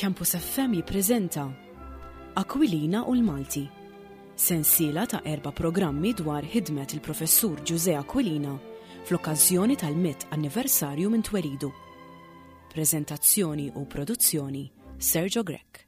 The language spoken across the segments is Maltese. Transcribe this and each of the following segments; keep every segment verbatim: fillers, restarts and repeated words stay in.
Campus F M jippreżenta Aquilina u l-Malti. Sensiela ta' erba' programmi dwar ħidmet il-professur Ġużè Aquilina fl-okkażjoni tal-mitt anniversarju minn twelidu. Prezentazzjoni u produzzjoni, Sergio Grech.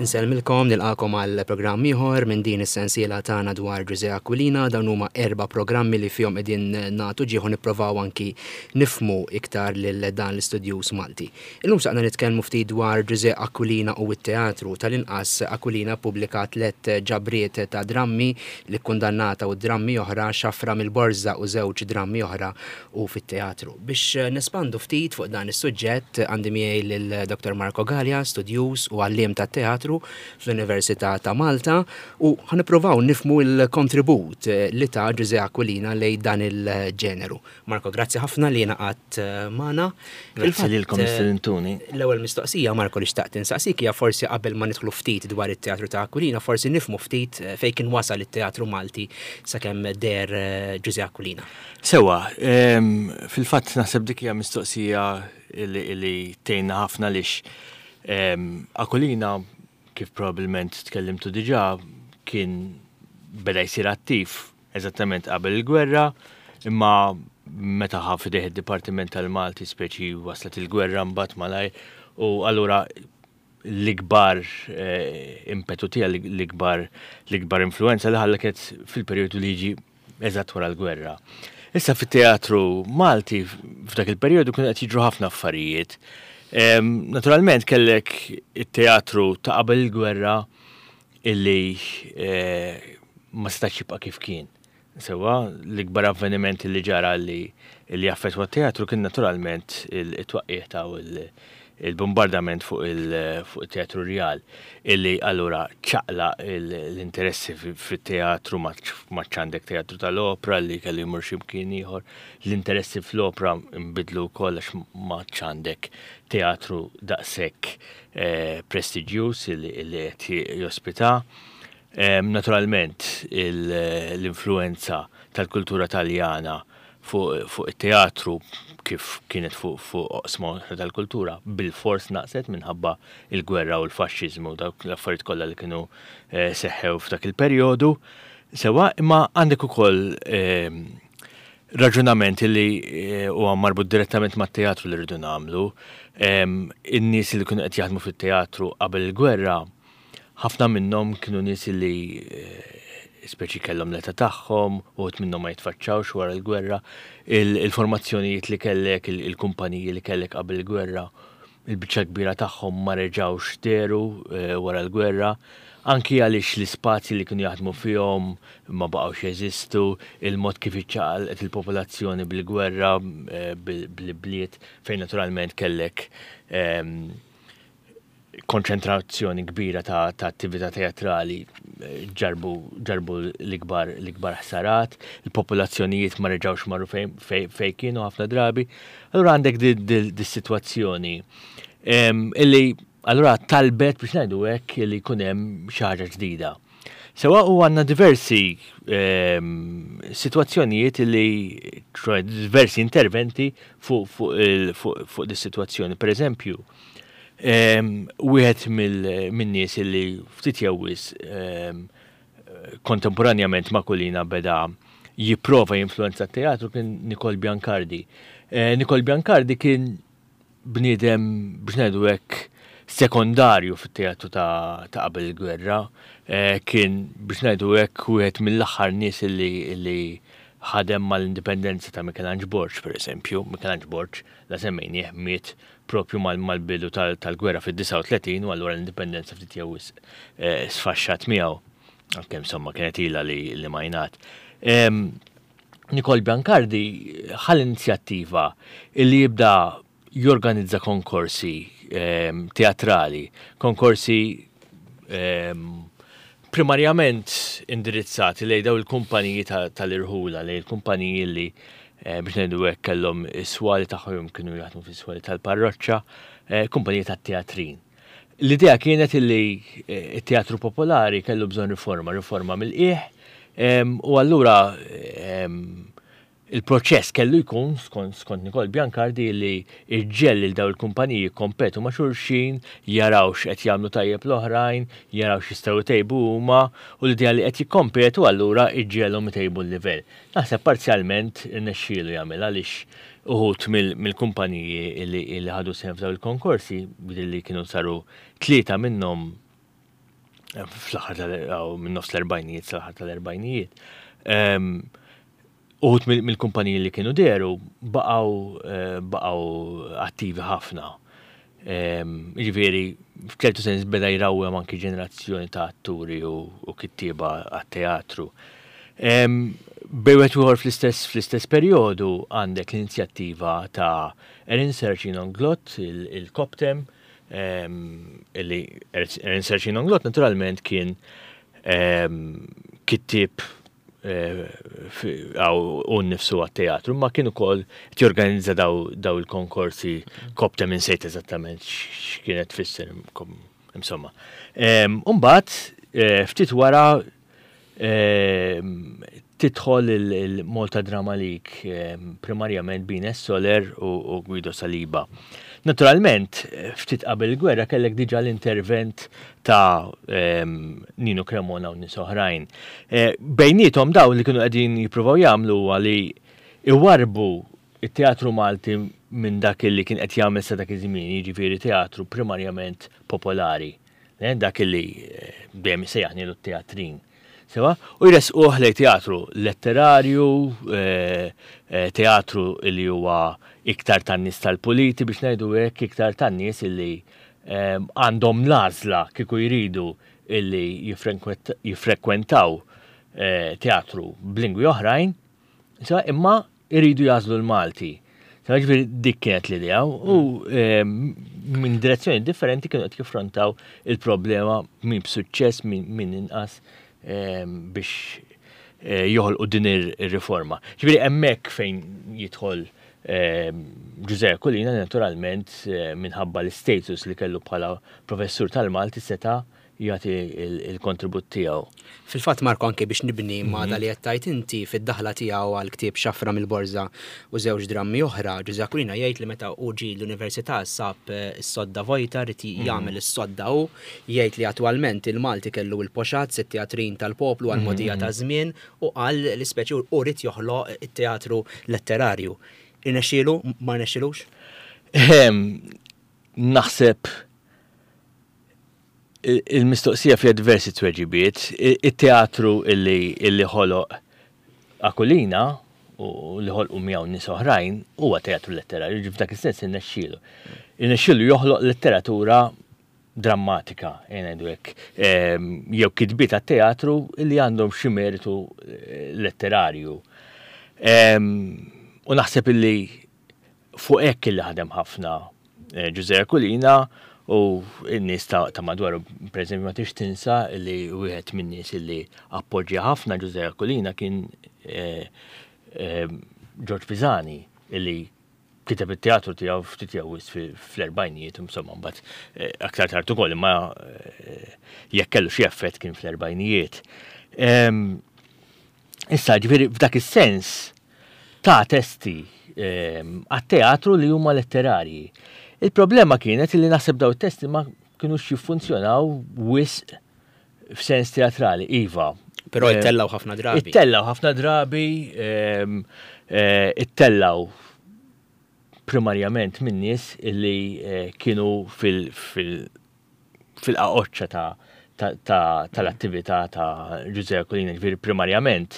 Insellmilkom, nilqakom għal programm ieħor minn din is-sensiela tagħna dwar Ġużè Aquilina. Dawn huma erba' programmi li fihom qegħdin nagħtu ġieħu nipprovaw anki nifmu iktar lil dan l-istudjuż Malti. Illum saqna nitkellmu ftit dwar Ġużè Aquilina u t-teatru. Tal-inqas Aquilina ppubblika tliet ġabriet ta' drammi, li kundannata u drammi oħra, Xafra mill-Borża u żewġ drammi oħra u fit-teatru. Biex nespandu ftit fuq dan is-suġġett għandi miegħi lil Doktor Marco Galea, studjuż u għalliem tat-teatru fl-Università ta' Malta, u ħanippruvaw nifmu l-kontribut li ta' Ġużè Aquilina lejn dan il-ġeneru. Marco, grazzi ħafna li ngħaqadt magħna. Grazzi lilkom istedintuni. L-ewwel mistoqsija, Marco, li xtaqt insaqsik hija forsi qabel ma nidħlu ftit dwar it-teatru ta' Aquilina, forsi nifmu ftit fejn kien wasal it-teatru Malti sakemm der Ġużè Aquilina. Sewa, fil-fatt naħseb dik hija mistoqsija li tgħinna ħafna lix Aquilina, kif probabbilment tkellimtu diġà, kien beda jsir attiv eżattament qabel il-gwerra, imma meta ħa f'idejh id-Dipartiment tal-Malti speċi waslet il-gwerra mbagħad malajr, u allura l-ikbar eh, impetu tiegħu, l-ikbar l-ikbar influenza li ħalla kienet fil-perjodu li jiġi eżatt wara l-gwerra. Issa fit-teatru Malti f'dak il-perjodu kienu qed jiġru ħafna affarijiet. Naturalment kellek it-teatru ta' qabel il-gwerra illi eh, ma setax jibqa' kif kien. Sewa, l-ikbar avveniment li ġara li li affettwa t-teatru kien naturalment il-twaqqigħ ta' il-bombardament fuq il-teatru Rjal, illi allura ċaqla l-interessi fit-teatru, ma għandek teatru tal-opra li kellu jmur x'imkien ieħor, l-interessi fl-opra nbidlu wkoll għax ma għandek teatru daqshekk eh, prestiġjuż li qed jospita. Naturalment l-influenza tal-kultura Taljana fuq it-teatru kif kienet fuq oqsma oħra tal-kultura bil-fors naqset minħabba il-gwerra u l-faxxiżmu u dawk l-affarijiet kollha li kienu eh, seħħew f'dak il-perjodu. Sewa, imma għandek ukoll eh, raġunament li eh, huwa marbut direttament mat-teatru li rridu nagħmlu. In-nies li kienu qed jaħdmu fit-teatru qabel il-gwerra, ħafna minnhom kienu nies li speċi kellhom l-età tagħhom, uħud minnhom ma jitfaċċawx wara l-gwerra, il-formazzjonijiet li kellek, il-kumpaniji li kellek qabel il-gwerra, il-biċċa kbira tagħhom ma reġgħux deru eh, wara l-gwerra, anki għaliex l-ispazji li kienu jaħdmu fihom ma baqgħux jeżistu, il-mod kif iċċaqalqet il-popolazzjoni bil-gwerra, eh, bil-bliet, fejn naturalment kellek ehm, konċentrazzjoni kbira ta', ta attività teatrali, eh, ġarbu, ġarbu l-ikbar l-ikbar ħsarat, il-popolazzjonijiet ma reġgħux marru fejn fej, fej kienu ħafna drabi. Allura għandek di-situazzjoni illi allura talbet, biex ngħidu hekk, illi jkun hemm xi ħaġa ġdida. Sewa, u għandna diversi situazzjonijiet illi, diversi interventi fuq fu, fu, fu dis-situazzjoni. Per eżempju, wieħed min-nies illi ftit jew wisq kontemporanjament ma' Aquilina beda jipprova jinfluenza t-teatru kien Nikol Biancardi. Eh, Nikol Biancardi kien bniedem, biex ngħidu hekk, sekondarju fit-teatru ta' qabel il-gwerra. Eh, kien, biex ngħidu hekk, wieħed mill-aħħar nies illi, illi ħadem mal-indipendenza ta' Michelangelo Borg, per eżempju. Michelangelo Borg, la semmejnieh, miet propju mal-bidu tal-gwerra fid-disgħa u tletin u allura l-indipendenza ftit jew wisq eh, sfaxxat miegħu. Għalkemm insomma kienet ilha li, li majnat. Nikol Biancardi ħa l-inizjattiva illi jibda jorganizza konkorsi teatrali, konkorsi primarjament indirizzati lejn daw il-kumpaniji tal-irħula, lejn il-kumpaniji li eh, biex ngħidu hekk kellhom is-swali tagħhom, kienu jaħdmu fis-swali tal-parroċċa, eh, kumpaniji tat-teatrin. L-idea kienet illi it-teatru popolari kellu bżonn riforma, riforma mill-qiegħ, u allura il-proċess kellu jkun, skont Nicole Biancardi, li iġġiegħel lil daw il-kumpaniji jikkompetu ma' xulxin, jaraw x'qed jagħmlu tajjeb l-oħrajn, jaraw x'jistgħu jtejbu huma, u l-idea li qed jikkompetu allura iġġegħelhom itejbu l-livell. Naħseb parzjalment irnexxielu jagħmel, għaliex uħud mill-kumpaniji li ħadu sehem f'daw il-konkorsi, li kienu saru tlieta minnhom fl-aħħar tal minn nofs l-erbgħinijiet sal-aħħar tal-erbgħinijiet. Uħud mill-kumpaniji li kienu dehru baqgħu baqgħu attivi ħafna. Jiġifieri, f'ċertu sens beda jrawwem anki ġenerazzjoni ta' atturi u kittieba għat-teatru. Bejn wieħed u ieħor fl-istess fl-istess perjodu għandek l-inizjattiva ta' Erin Sercin Englot, il-Koptem, illi Erin Sercin Englot naturalment kien kittieb u nnifsu għat-teatru, ma kien ukoll jorganizza daw il-konkorsi Koptem, insejt eżattament x'kienet tfisser, insomma. Umbagħad ftit wara tidħol il-Malta Drama League, primarjament b'Ines Soler u Guido Saliba. Naturalment, ftit qabel il-gwerra kellek diġà l-intervent ta' Nino Cremona u nies oħrajn. Bejniethom daw li kienu qegħdin jippruvaw jagħmlu huwa li iwarbu it-teatru Malti minn dak li kien qed jagħmel sa dak iż-żmien, jiġifieri teatru primarjament popolari. Dak li dejjem sejjaħnielu t-teatrin. Sewa, u jresquh lejn teatru letterarju, teatru li huwa iktar tan-nies tal-puliti biex ngħidu hekk, iktar tan-nies illi għandhom l-għażla kieku jridu illi jiffrekwentaw teatru b'lingwi oħrajn, imma jridu jagħżlu l-Malti. Ġifieri dik kienet l-idea u minn direzzjoni differenti kienu qed jiffrontaw il-problema min b'suċċess, min inqas, biex joħolqu din ir-riforma. Ġifieri hemmhekk fejn jidħol Ġużè Aquilina, naturalment minħabba l-status li kellu bħala professur tal-Malti seta' jagħti il-kontribut tiegħu. Fil-fatt, Marko, anke biex nibni ma' dak li qed tgħid inti, fid-daħla tiegħu għal ktieb Xafra mill-Borża u żewġ drammi oħra, Ġużè Aquilina jgħid li meta hu ġie l-università sab is-sodda vojta, ried jagħmel is-sodda hu, jgħid li attwalment il-Malti kellu l-poxat, it-teatrin tal-poplu għal mogħdija ta' żmien, u qal l-ispeċi u ried joħloq it-teatru letterarju. Irnexxielu, ma rnexxilux? Naħseb il-mistoqsija fiha diversi tweġibiet. Il-teatru illi ħoloq Aquilina u li ħolqu miegħu nies oħrajn huwa teatru letterarju, ġifieri f'dak is-sens irnexxielu. Irnexxielu joħloq letteratura drammatika, ngħidu hekk, jew kitbiet għat-teatru li għandhom xi meritu letterarju. U naħseb illi fuq hekk illi ħadem ħafna Ġużè Aquilina u n-nies ta' madwaru. Per eżempju, ma tix tinsa li wieħed min-nies illi appoġġja ħafna Ġużè Aquilina kien George Pisani, illi kiteb it-teatru tiegħu ftit jew wisq fl-erbgħinijiet, insomma, mbagħad aktar tard ukoll, imma jekk kellu xi effett kien fl-erbgħinijiet. Issa, ġifieri f'dak is-sens ta' testi għat-teatru li huma letterarji. Il-problema kienet li naħseb daw it-testi ma kienux jiffunzjonaw wisq f'sens teatrali, iva. Però ittellaw ħafna drabi. Ittellaw ħafna drabi, ittellaw primarjament minn nies illi kienu fil-qaqoċċa tal-attività ta' Ġużè Aquilina. Ġifieri primarjament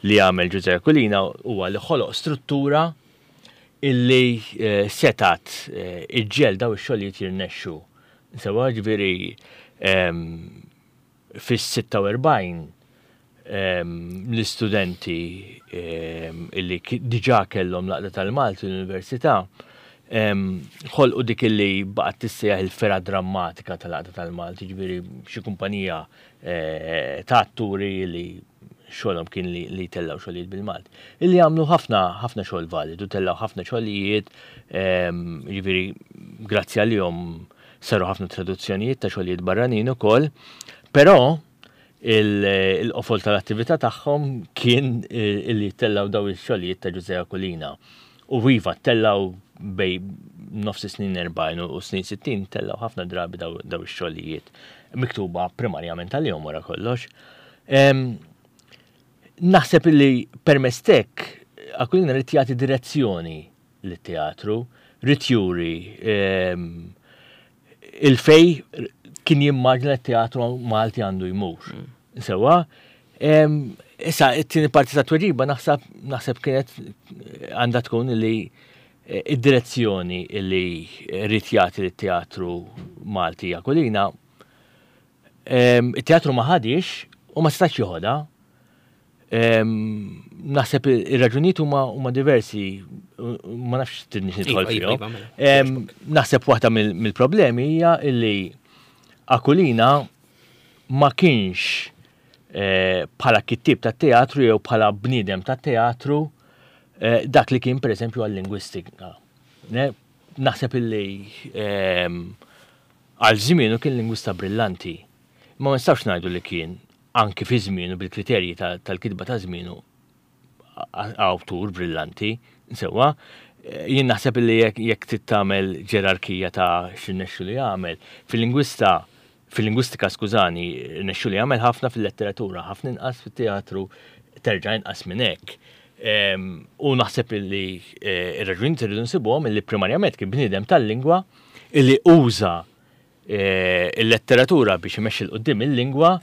li għamel Ġużè Aquilina huwa li ħoloq struttura illi setat iġġiegħel daw ix-xogħlijiet jirnexxu. Sewa, ġifieri fis-sitta u erbgħin l-istudenti illi diġà kellhom l-Għaqda tal-Malti l-Università ħolqu dik illi baqgħet tissejjaħ il-fergħa drammatika tal-Għaqda tal-Malti, ġifieri xi kumpanija ta' atturi li xogħolhom kien li tellaw xogħlijiet bil-Malti. Illi għamlu ħafna ħafna xogħol validu, tellaw ħafna xogħlijiet, ġifieri grazzi għalihom saru ħafna traduzzjonijiet ta' xogħlijiet barranin ukoll, però il-qofol tal-attività tagħhom kien illi tellaw daw ix-xogħlijiet ta' Ġużè Aquilina. U iva, tellaw bejn nofs snin erbgħin u snin sittin, tellaw ħafna drabi daw ix-xogħlijiet miktuba primarjament għalihom wara kollox. Naħseb illi permezz t'hekk Aquilina ried jagħti direzzjoni lit-teatru, ried juri il-fej kien jimmaġna t-teatru Malti għandu jmur. Sewa, issa it-tieni parti ta' tweġiba naħseb naħseb kienet għandha tkun li id-direzzjoni li ried jagħti lit-teatru Malti Aquilina, it-teatru ma ħadix u ma setax joħodha. Naħseb ir-raġunijiet huma huma diversi, ma nafx tridnix nidħol Iva, iva, fihom. Iva, mela. Naħseb waħda mill-problemi hija illi Aquilina ma kienx eh, bħala kittieb tat-teatru jew bħala bniedem tat-teatru eh, dak li kien pereżempju għal-lingwistika. Naħseb illi għal żmienu kien lingwista brillanti. Ma nistgħux ngħidu li kien anki fi żmienu bil-kriterji tal-kitba ta' żmienu awtur brillanti, sewwa, jien naħseb li jekk trid tagħmel ġerarkija ta' x'irnexxielu li jagħmel, fil-lingwista, fil-lingwistika, skużani, rnexxielu li jagħmel ħafna fil-letteratura, ħafna inqas fit-teatru, terġa' inqas minn hekk. U naħseb li eh, ir-raġunijiet irridu nsibuhom illi primarjament kien bniedem tal-lingwa illi uża eh, il-letteratura biex imexxi 'l quddiem il-lingwa.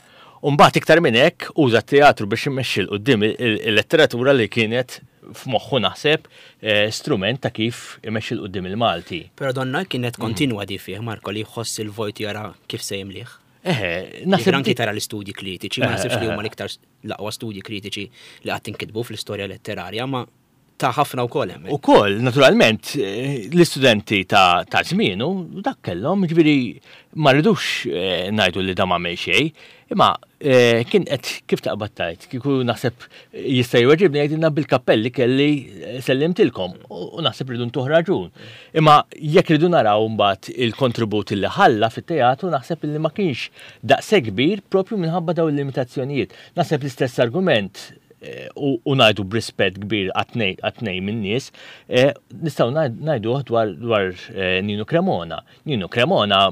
U mbagħad iktar minn hekk uża t-teatru biex imexxi 'l quddiem il-letteratura li kienet f'moħħu naħseb eh, strument ta' kif imexxi 'l quddiem il-Malti. Però donna kienet kontinwa di fih, Marko, li jħoss il-vojt jara kif se jimlih. Eħe, naħseb anki tara l-istudji kritiċi, ma naħsibx li huma l-iktar l-aqwa studji kritiċi li qatt inkitbu fl-istorja letterarja, ma ta' ħafna wkoll hemm. Ukoll, naturalment, eh, l-istudenti ta' ta' żmienu dak kellhom, ġifieri ma rridux eh, ngħidu li da ma xejn, imma eh, kien qed kif taqbad tajt, kieku naħseb jista' jweġibni jgħidilna bil-kappelli kelli sellimtilkom u naħseb rridu ntuh raġun. Imma jekk rridu naraw mbagħad il-kontribut li ħalla fit-teatru, naħseb li ma kienx daqshekk kbir propju minħabba dawn il-limitazzjonijiet. Naħseb l-istess argument eh, u ngħidu b'rispett kbir għat-tnejn min-nies, eh, nistgħu ngħidu dwar dwar Nino Cremona. Nino Cremona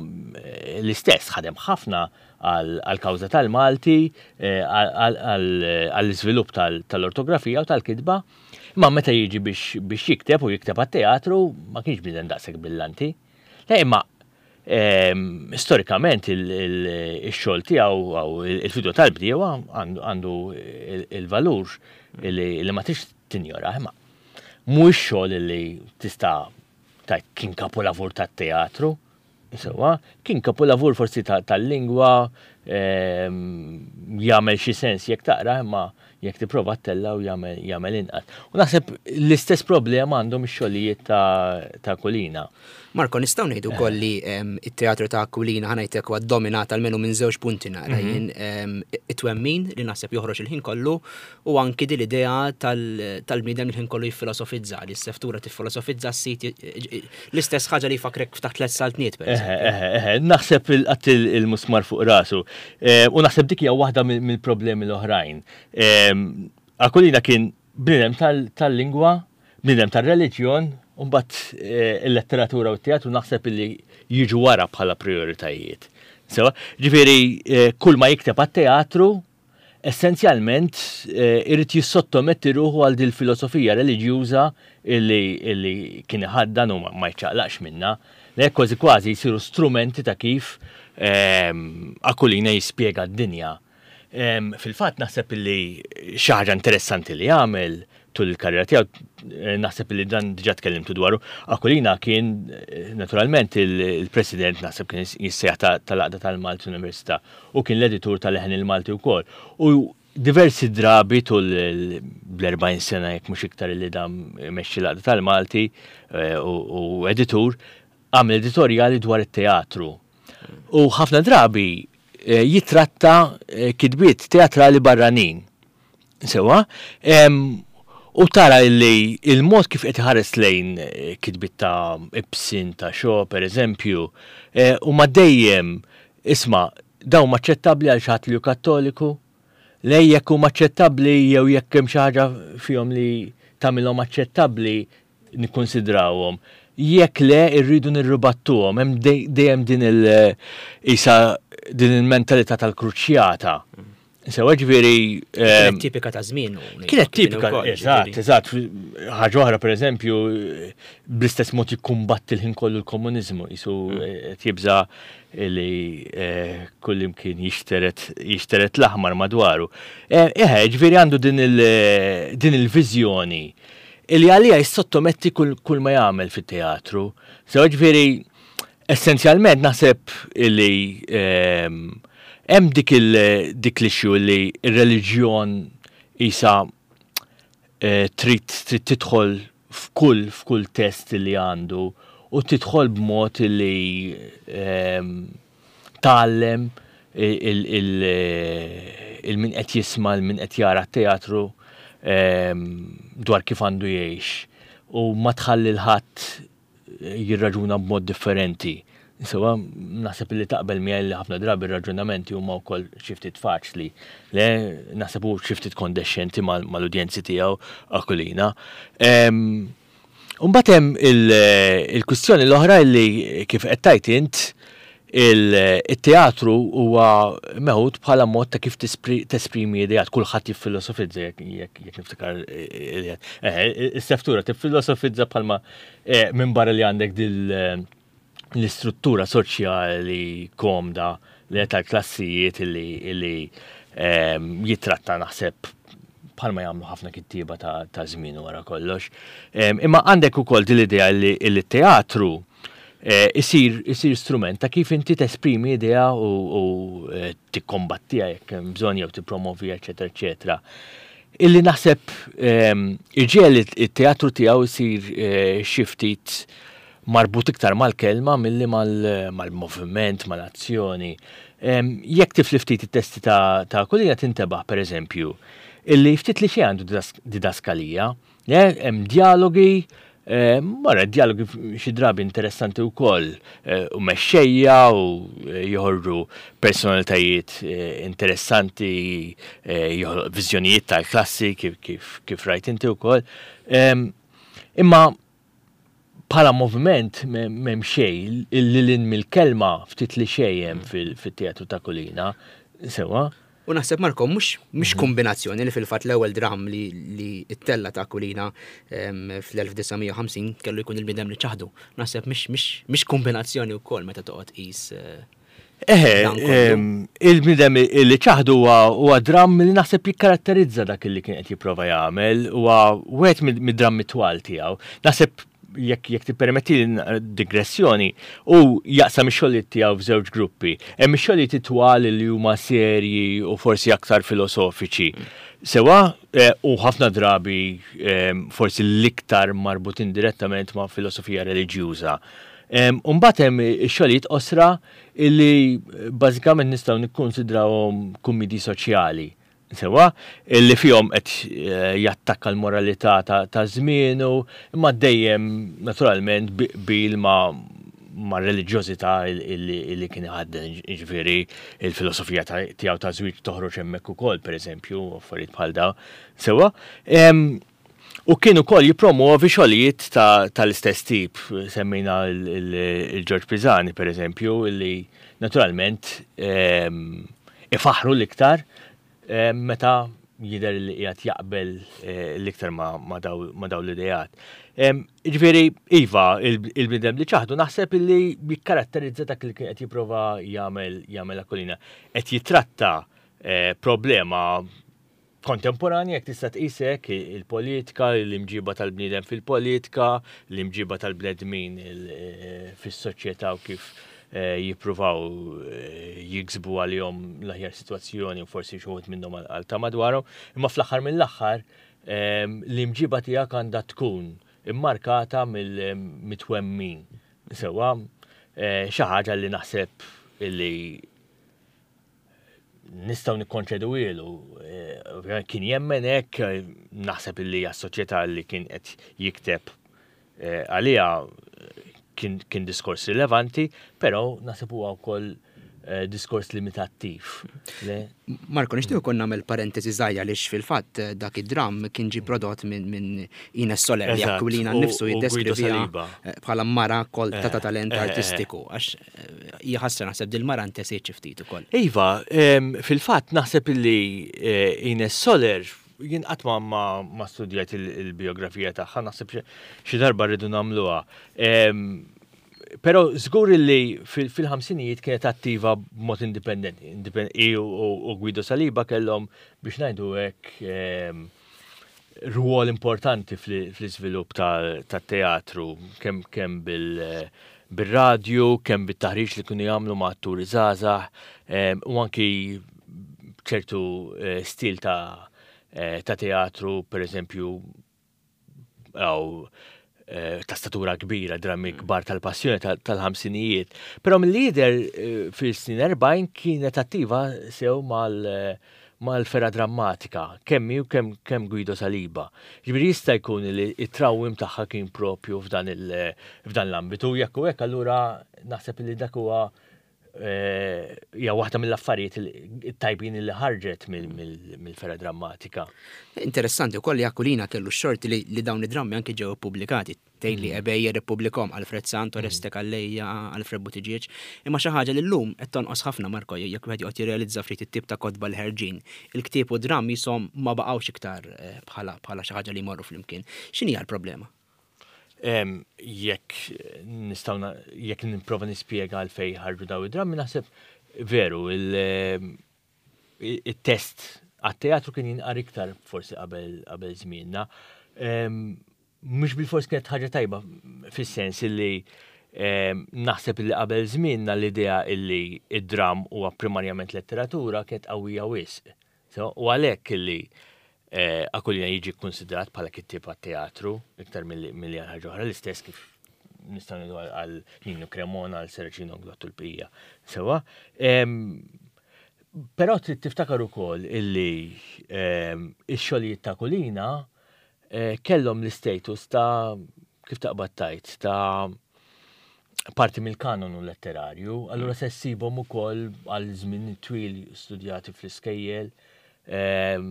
l-istess ħadem ħafna għal-kawża tal-Malti, għall-iżvilupp tal-ortografija u tal-kitba. Imma meta jiġi biex jikteb u jikteb għat-teatru, ma kienx bniedem daqshekk brillanti. Le, imma storikament il-xogħol tiegħu għaw il-Fidwa tal-Bdiewa għandu il-valur li ma tix tinjora, imma mhuwiex xogħol li tista' tgħid kien kapolavur tat-teatru. Sewa, kien kapolavur forsi tal-lingwa, jagħmel xi sens jekk taqra, imma jekk tipprova ttella' u jagħmel inqas. U naħseb l-istess problema għandhom ix-xogħlijiet ta' Aquilina. Marko, nistgħu ngħidu wkoll li it-teatru ta' Aquilina, ħa ngħidlek, huwa dominat almenu minn żewġ punti naqra mhm. jien, it-twemmin li naħseb joħroġ il-ħin kollu u anki din l-idea tal-bniedem il-ħin kollu jiffilosofizza, li s-seftura tiffilosofizza s-sit, l-istess ħaġa li fakrek ftaħt tliet saltniet. Naħseb il-qatt il-musmar fuq rasu. U naħseb dik hija waħda mill-problemi l-oħrajn. Aquilina kien bniedem tal-lingwa, bniedem tal-reliġjon, u mbagħad eh, il-letteratura u t-teatru naħseb li jiġu wara bħala prioritajiet. Sewa, ġifieri eh, kull ma jikteb għat-teatru essenzjalment eh, irid jissottometti ruħu għal dil filosofija reliġjuża illi, illi kien iħaddan u ma jċaqlaqx minna. Le, kważi kważi jsiru strumenti ta' kif ehm, Aquilina jispjega d-dinja. Ehm, fil-fatt naħseb illi xi ħaġa interessanti li għamel tul il-karriera tiegħu, eh, naħseb li dan diġà tkellimtu dwaru, Aquilina kien eh, naturalment il-president, naħseb kien jissejjaħ, tal-Għaqda tal-Malti Università u kien l-editur tal-Leħen il-Malti wkoll. U diversi drabi tul l-erbgħin sena jekk mhux iktar li dam mexxi l-Għaqda tal-Malti eh, u editur, għamel editorjali dwar it-teatru. U ħafna drabi jitratta kitbiet teatrali barranin. Sewa, U tara li il-mod kif qed iħares lejn kitbiet ta' Ibsen, ta' Shaw, per eżempju, huma dejjem, isma', dawn aċċettabbli għal xi ħadd li hu Kattoliku? Le, jekk huma aċċettabbli jew jekk hemm xi ħaġa fihom li tagħmilhom aċċettabbli, nikkonsidrawhom. Jekk le, irridu nirribattuhom. Hemm dejjem din il- isa din il-mentalità tal-kruċjata. Sewa, ġifieri. Kienet tipika ta' żmien. Kienet tipika, eżatt, eżatt. Ħaġa oħra, per eżempju, bl-istess mod jikkumbatti l-ħin kollu l-komuniżmu, jisu tibża li kullimkien jixteret jixteret l-aħmar madwaru. Eħe, ġifieri għandu din il-viżjoni li għalija jissottometti kull ma jagħmel fit-teatru. Sewa, ġifieri, essenzjalment naħseb li hemm dik dik l-issue li r-reliġjon isa trid trid tidħol f'kull f'kull test li għandu u tidħol b'mod li tgħallem il-min qed jisma', il-min qed jara t-teatru dwar kif għandu jgħix u ma tħalli l-ħadd jirraġuna b'mod differenti. Sewa, naħseb li taqbel miegħi li ħafna drabi ir-raġunamenti huma wkoll xi ftit faċli. Le, naħseb hu xi ftit kondescenti mal-udjenzi tiegħu Aquilina. Imbagħad hemm il-kwistjoni l-oħra li, kif qed tajt int, il-teatru huwa meħud bħala mod ta' kif tesprimi ideat, kulħadd jiffilosofizza, jekk niftakar is-seftura tiffilosofizza bħalma minn barra li għandek dil l-istruttura soċjali komda li tal-klassijiet li jitratta, naħseb bħalma jagħmlu ħafna kittieba ta' żmien wara kollox. Imma għandek ukoll din l-idea li t-teatru isir isir strument ta' kif inti tesprimi idea u tikkombattiha jekk hemm bżonn jew tippromovija, eċetera, eċetera. Illi naħseb iġiegħel it-teatru tiegħu isir xi ftit marbut iktar mal-kelma milli mal-moviment, mal-azzjoni. Jekk tifli ftit it-testi ta' Aquilina tintebaħ, per eżempju, illi ftit li xejn għandu didaskalija, hemm dialogi, mara dialogi xi drabi interessanti wkoll, u mexxejja u joħorġu personalitajiet interessanti, viżjonijiet tal-klassi kif kif rajt inti wkoll. Imma bħala moviment m'hemm xejn, lil mill-kelma ftit li xejn hemm fit-teatru ta' Aquilina. Sewa. U naħseb, Marko, mhux mhux kombinazzjoni li fil-fatt l-ewwel dram li li ttella' ta' Aquilina fl-elf disa' mija u ħamsin kellu jkun Il-Bniedem li Ċaħdu. Naħseb mhix mhix kombinazzjoni wkoll meta toqgħod qis. Eħe, Il-Bniedem li Ċaħdu huwa dram li naħseb jikkaratterizza dak li kien qed jipprova jagħmel, huwa wieħed mid-drammi twal tiegħu. Naħseb, jekk jekk tippermetti digressjoni, u jaqsam ix-xogħlijiet tiegħu f'żewġ gruppi. Hemm ix-xogħlijiet twal li huma serji u forsi aktar filosofiċi. Sewa, u ħafna drabi forsi l-iktar marbutin direttament ma' filosofija reliġjuża. Imbagħad hemm ix-xogħlijiet qosra illi bażikament nistgħu nikkonsidrawhom kummedji soċjali. Sewa, illi fihom qed jattakka l-moralità ta' żmienu, imma dejjem naturalment bil ma' ma' reliġjożità illi kien iħadden, ġifieri il-filosofija tiegħu ta' żwieġ toħroġ hemmhekk ukoll, pereżempju, affarijiet bħal daw. Sewa, u kien ukoll jippromuovi xogħlijiet tal-istess tip, semmejna il-Ġorġ Pisani, pereżempju, illi naturalment ifaħru l-iktar meta jidher li qiegħed jaqbel l-iktar ma' daw l-idejat. Ġifieri, iva, Il-Bniedem li Ċaħdu naħseb illi jikkaratterizza dak li qed jipprova jagħmel jagħmel Aquilina. Qed jitratta problema kontemporanja, jekk tista' tqisek, il-politika, l-imġiba tal-bniedem fil-politika, l-imġiba tal-bnedmin fis-soċjetà u kif jippruvaw jiksbu għalihom l-aħjar sitwazzjoni u forsi xi wħud minnhom għal ta' madwarhom, imma fl-aħħar mill-aħħar l-imġiba tiegħek għandha tkun immarkata mill-twemmin. Sewa, xi ħaġa li naħseb illi Nistgħu nikkonċeduhielu, eh, kien jemmen hekk, naħseb illi għas-soċjetà li kien qed jikteb eh, għaliha kien, kien diskors rilevanti, però naħseb huwa wkoll eh, diskors limitattiv. Le? Marko, nixtieq ukoll nagħmel parentesi żgħira għaliex fil-fatt eh, dak id-dram kien ġi prodott minn min Ines Soler li Eżatt, Aquilina u- nnifsu u Guido jiddeskriviha Saliba. eh, bħala mara kolta ta' Eh, talent eh, eh, artistiku, għax eh, hija ħasra naħseb dil-mara ntesiet xi ftit ukoll. Iva, em, fil-fatt naħseb illi eh, Ines Soler jien qatt ma ma, ma studjajt il- il-biografija tagħha, naħseb xi- xi darba rridu nagħmluha. Em, Però żgur illi fil- fil-ħamsinijiet kienet attiva b'mod indipendenti. Indipen- i u, u Guido Saliba kellhom biex ngħidu hekk em, rwol importanti fl- fl-iżvilupp tat-teatru, kemm kemm bil bil-radju, kemm bit-taħriġ li kienu jagħmlu ma' atturi żgħażagħ, em, u anki ċertu eh, stil ta' eh, ta' teatru, per eżempju, għaw eh, ta' statura kbira, drammi kbar tal-passjoni tal- tal-ħamsinijiet. Però mill-lider eh, fil-snin erbgħin kienet attiva sew mal eh, mal-fergħa drammatika, kemm hi u kemm kemm Guido Saliba. Ġifieri jista' jkun li it-trawwim tagħha kien propju f'dan il- f'dan l-ambitu, jekk u hekk allura naħseb li dak huwa eh, hija waħda mill-affarijiet il- it-tajbin li ħarġet mill- mill- mill-fergħa drammatika. Interessanti wkoll li Aquilina kellu x-xorti li, li dawn id-drammi anki ġew ippubblikati. Tgħid li Ebejer ippubblikahom, Alfred Sant, Oreste Calleja, Alfred Buttigieg. Imma xi ħaġa li llum qed tonqos ħafna, Marko, jekk wieħed joqgħod jirrealizza ftit it-tip ta' kotba li ħerġin. Il-ktieb u dramm jisom ma baqgħux iktar eh, bħala bħala xi ħaġa li jmorru flimkien. X'inhi l-problema? Em, jekk nistgħu na- jekk nipprova nispjega għalfejn ħarġu daw id-drammi, naħseb veru il- il-test għat-teatru kien jinqar iktar forsi qabel qabel żmienna. Em, Mhux bil-fors kienet ħaġa tajba fis-sens illi em, naħseb illi qabel żmienna l-idea illi id-dram huwa primarjament letteratura kienet qawwija wisq. So, u għalhekk illi eh, Aquilina jiġi konsiderat bħala kittieb għat-teatru iktar milli milli għal ħaġa oħra, l-istess kif nistgħu ngħidu għal- għal Nino Cremona, għal Serracino Inglott u l-bqija. Sewa. Em, Però trid tiftakar ukoll illi em, ix-xogħlijiet ta' Aquilina eh, kellhom l-istatus ta' kif taqbad tajt ta' parti mill-kanonu letterarju, allura se ssibhom ukoll għal żmien twil studjati fl-iskejjel, em,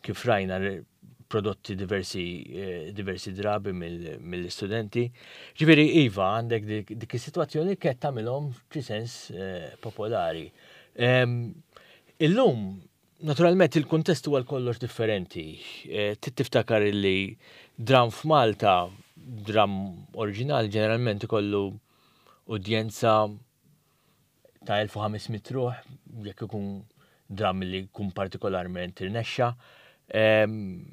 kif rajna re- prodotti diversi, eh, diversi drabi mill- mill-istudenti. Ġifieri iva, għandek dik, dik is-sitwazzjoni li kienet tagħmilhom f'xi sens eh, popolari. Em, Illum, naturalment, il-kuntest huwa kollox differenti. Eh, Trid tiftakar illi dram f'Malta, dram oriġinali ġeneralment ikollu udjenza ta' elf u ħames mitt ruħ, jekk ikun dram li jkun partikolarment irnexxa, em,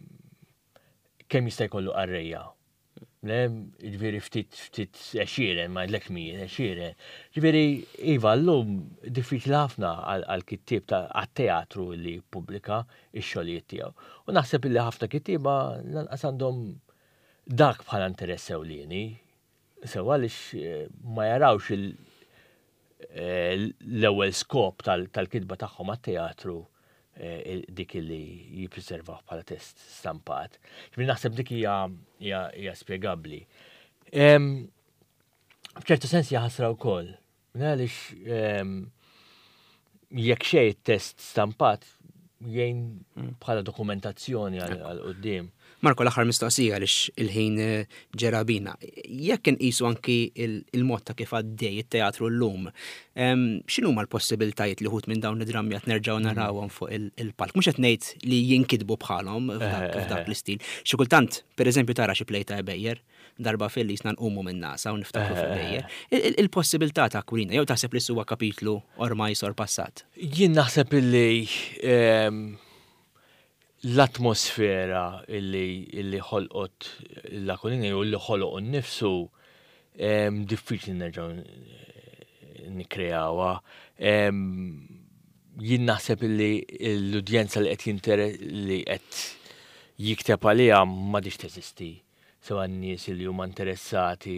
kemm jista' jkollu qarrejja? Le, ġifieri ftit ftit għexieren, ma ngħidlekx mijiet, għexieren. Ġifieri, iva, llum diffiċli ħafna għal kittieb ta' għat-teatru li jippubblika x-xogħlijiet tiegħu. U naħseb illi ħafna kittieba lanqas għandhom dak bħala interess ewlieni. Sewa għaliex eh, ma jarawx il- eh, l-ewwel skop tal- tal-kitba tagħhom għat-teatru eh, dik li jippreservaw bħala test stampat. Ġifieri naħseb dik hija hija hija spjegabbli. Em, F'ċertu sens hija ħasra wkoll. Għaliex em, jekk xejn test stampat jgħin bħala dokumentazzjoni għal għal quddiem. Marko, l-aħħar mistoqsija għaliex il-ħin eh, ġera bina. Jekk inqisu anki il- il-mod ta' kif għaddej it-teatru llum, em, x'inhuma l-possibiltajiet li wħud minn dawn id-drammi qed nerġgħu narawhom fuq il- il-palk? Mhux qed ngħid li jinkitbu bħalhom f'dak f'dak l-istil. Xi kultant, pereżempju, tara xi play ta' Ebejer, darba fil jisna nqumu minn nasa u niftakru f'Ebejer. Il- il- Il-possibilità ta' Aquilina, jew taħseb li huwa kapitlu ormai sorpassat? Jien naħseb illi em, l-atmosfera illi, illi ħolqot l-Aquilina jew illi ħoloq nnifsu em, diffiċli nerġgħu nikkreawha. Em, Jien naħseb illi l-udjenza li qed jintere li qed jikteb għaliha m'għadhiex teżisti. Sewa n-nies li huma interessati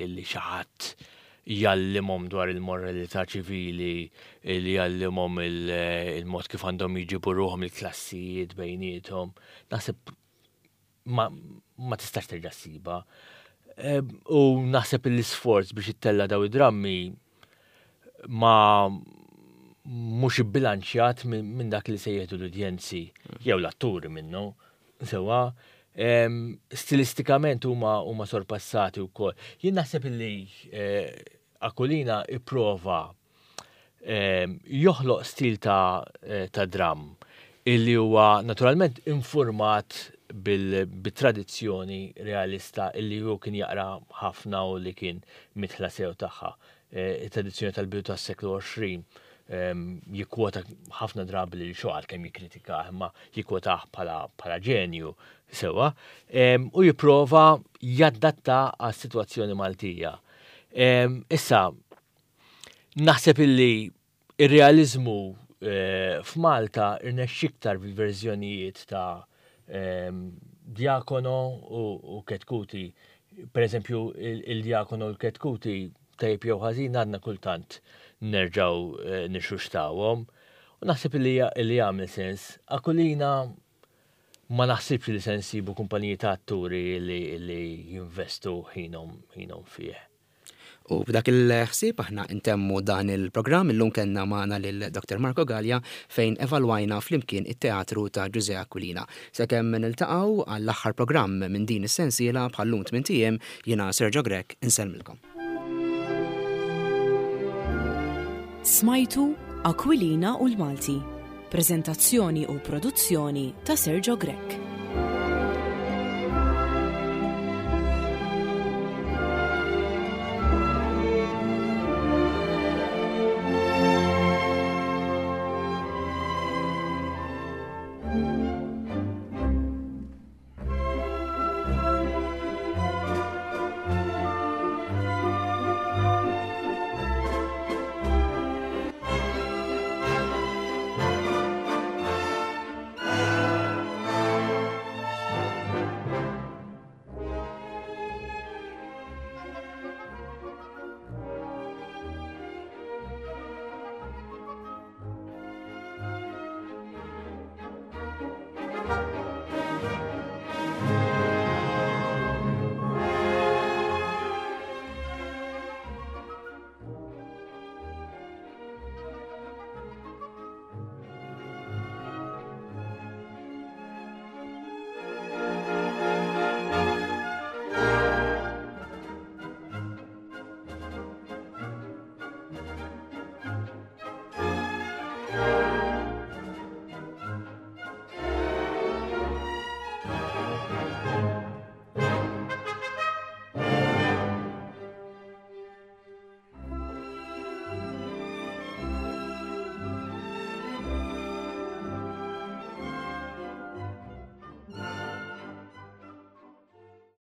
li xi ħadd Jgħallimhom dwar il-moralità ċivili, li jgħallimhom il-mod kif għandhom jġibu ruħhom il-klassijiet bejniethom. Naħseb ma, ma tistax terġa' ssibha. U naħseb l-isforz biex ittella' daw id-drammi ma mhux ibbilanċjat minn dak li se jieħdu l-udjenzi jew l-atturi minnu. Sewa, stilistikament huma huma sorpassati wkoll. Jien naħseb li eh, Aquilina ipprova joħloq stil ta' eh, ta' dram illi huwa naturalment informat bil-tradizzjoni realista illi hu kien jaqra ħafna u li kien midħla sew tagħha. Eh, it-tradizzjoni tal-bidu tas-seklu għoxrin, jikkwota ħafna drabi lil Shaw, kemm jikkritika, imma jikkwotah bħala ġenju sewa, u jipprova jaddatta għas-sitwazzjoni Maltija. Issa, naħseb illi ir-realizmu eh, f'Malta irnexxa iktar fil-verżjonijiet ta' Diacono u Chetcuti. Per eżempju, il-Diacono u l-Chetcuti, tajb jew ħażin, għadna kultant nerġaw eh, nirxuxtawhom. U naħseb li li jagħmel sens. Aquilina ma naħsibx li se nsibu kumpaniji ta' atturi li, li jinvestu ħinhom ħinhom fih. U b'dak il-ħsieb aħna intemmu dan il-programm. Illum kellna magħna lil Doktor Marco Gallia fejn evalwajna flimkien it-teatru ta' Ġużè Aquilina. Sakemm niltaqgħu għall-aħħar programm minn din is-sensiela bħallum tmint ijiem, jiena Sergio Grech insellmilkom. Smajtu Aquilina u l-Malti. Prezentazzjoni u produzzjoni ta' Sergio Grech.